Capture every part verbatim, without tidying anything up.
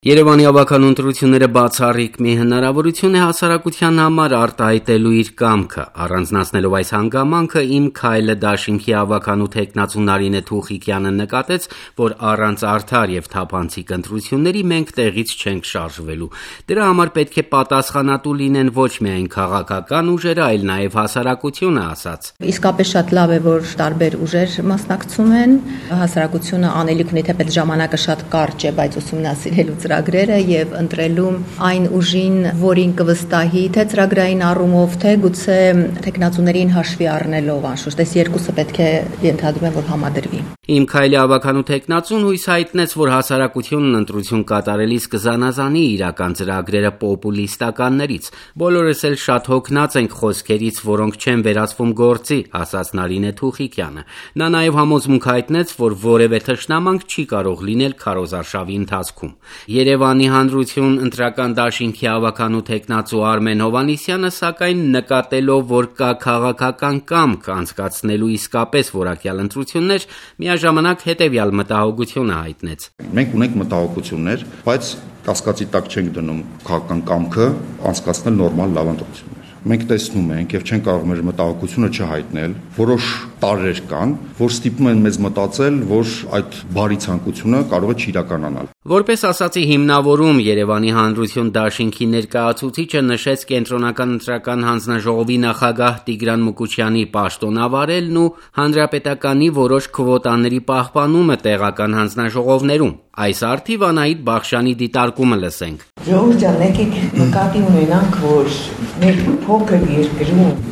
Երևանի ավագանու ընտրությունները բացառիկ մի հնարավորություն է հասարակության համար արտահայտելու իր կամքը, առանձնացնելով այս հանգամանքը «Իմ քայլը» դաշինքի ավագանու թեկնածու Նարինե Թուխիկյանը նկատեց, որ առանց արդար եւ թափանցիկ ընտրությունների մենք տեղից չենք շարժվելու։ Դրա համար պետք է պատասխանատու լինեն ոչ միայն քաղաքական ուժերը, այլ նաեւ հասարակությունը, ասաց։ Իսկապես շատ լավ է, որ տարբեր ուժեր մասնակցում են, հասարակությունը անելիք ունի, թեպետ ժամանակը շատ կարճ է, բայց ուսումնասիրելու ծրագրերը եւ ընտրելու այն ուժին, որին կվստահի, թե ծրագրային առումով, թե գուցե տեխնացուներին հաշվի առնելով, անշուշտ, այս երկուսը պետք է ենթադրում եմ, որ համադրվի։ «Իմ քայլի» ավագանու թեկնածուն հույս հայտնեց, որ հասարակությունն ընտրություն կատարելիս կզանազանի իրական ծրագրերը պոպուլիստականներից։ Բոլորս էլ շատ հոգնած ենք խոսքերից, որոնք չեն վերածվում գործի, ասաց Նարինե Թուխիկյանը։ Նա նաեւ համոզմունք հայտնեց, որ որևէ թշնամանք չի կարող լինել քարոզարշավի ընթացքում։ Երևանի հանրություն ընտրական դաշինքի ավագանու թեկնածու Արմեն Հովհաննիսյանը, սակայն նկատելով, որ կա քաղաքական կամք անցկացնելու իսկապես որակյալ ընտրություններ, միաժամանակ հետևյալ մտահոգությունը հայտնեց։ Մենք ունենք մտահոգություններ, բայց կասկածի տակ չենք դնում քաղաքական կամքը անցկացնել նորմալ լավ ընտրություններ։ Մենք տեսնում ենք եւ չենք կարող մեր մտահոգությունը չհայտնել, որոշ տարրեր կան, որ ստիպում են մեզ մտածել, որ այդ բարի ցանկությունը կարող է չիրականանալ։ Որպես ասացի հիմնավորում Երևանի հանրություն դաշինքի ներկայացուցիչը նշեց կենտրոնական ընտրական հանձնաժողովի նախագահ Տիգրան Մուկուչյանի պաշտոնավարելն ու հանրապետականի որոշ քվոտաների պահպանումը տեղական հանձնաժողովներում։ Այս արդիվ Անահիտ Բախշյանի դիտարկումը լսենք։ Ժողովուրդ ջան, եկեք նկատի ունենանք, որ մեր փոքր երկրում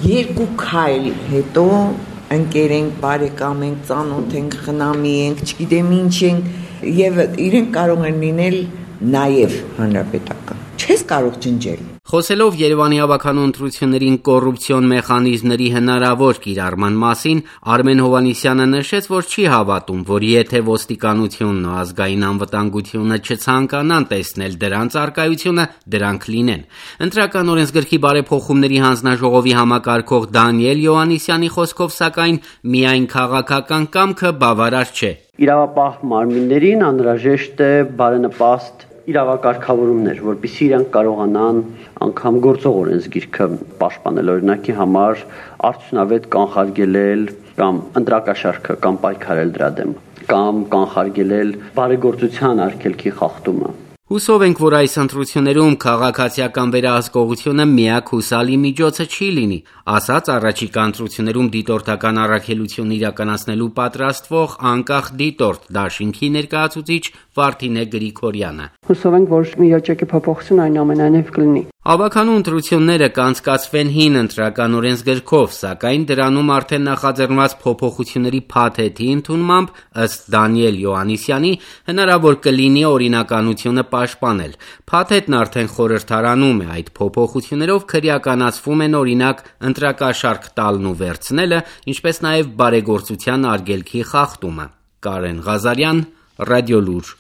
երկու քայլ հետո ընկերենք, բարեկամենք, ծանոթենք, խնամի ենք, չգիտեմ ինչ ենք, եւ իրենք կարող են լինել նաեւ հանրապետական։ Չես կարող ջնջել։ Խոսելով Երևանի ավագանու ընտրություններին կոռուպցիոն մեխանիզմների հնարավոր կիրառման մասին, Արմեն Հովհաննիսյանը նշեց, որ չի հավատում, որ եթե ոստիկանությունն ու ազգային անվտանգությունը չցանկանան տեսնել դրանց առկայությունը, դրանք լինեն։ Ընտրական օրենսգրքի բարեփոխումների հանձնաժողովի համակարգող Դանիել Յոհաննիսյանի խոսքով, սակայն միայն քաղաքական կամքը բավարար չէ։ Իրավապահ մարմիններին անհրաժեշտ է բարենպաստ իրավակարգավորումներ, որպեսզի իրենք կարողանան անգամ գործող օրենսգիրքը պաշտպանել, օրինակի համար արդյունավետ կանխարգելել կամ ընտրակաշառքը կամ պայքարել դրա դեմ, կամ կանխարգելել բարեգործության արգելքի խախտումը։ Հուսով ենք, որ այս ընտրություններում քաղաքացիական վերահսկողությունը միակ հուսալի միջոցը չի լինի, ասաց առաջիկա ընտրություններում դիտորդական առաքելություն իրականացնելու պատրաստվող անկախ դիտորդ դաշինքի ներկայացուցիչ Վարդինե Գրիգորյանը։ Հուսով ենք, որ միջոճակի փոփոխություն այնուամենայնիվ կլինի։ Ավագանու ընտրությունները կանցկացվեն հին ընտրական օրենսգրքով, սակայն դրանում արդեն նախաձեռնված փոփոխությունների փաթեթի ընդունմամբ, ըստ Դանիել Յոհաննիսյանի, հնարավոր կլինի օրինականությունը պաշտպանել։ Փաթեթն արդեն խորհրդարանում է, այդ փոփոխություններով քրեականացվում են օրինակ ընտրակաշառք տալն ու վերցնելը, ինչպես նաև բարեգործության արգելքի խախտումը։ Կարեն Ղազարյան, Ռադիոլուր։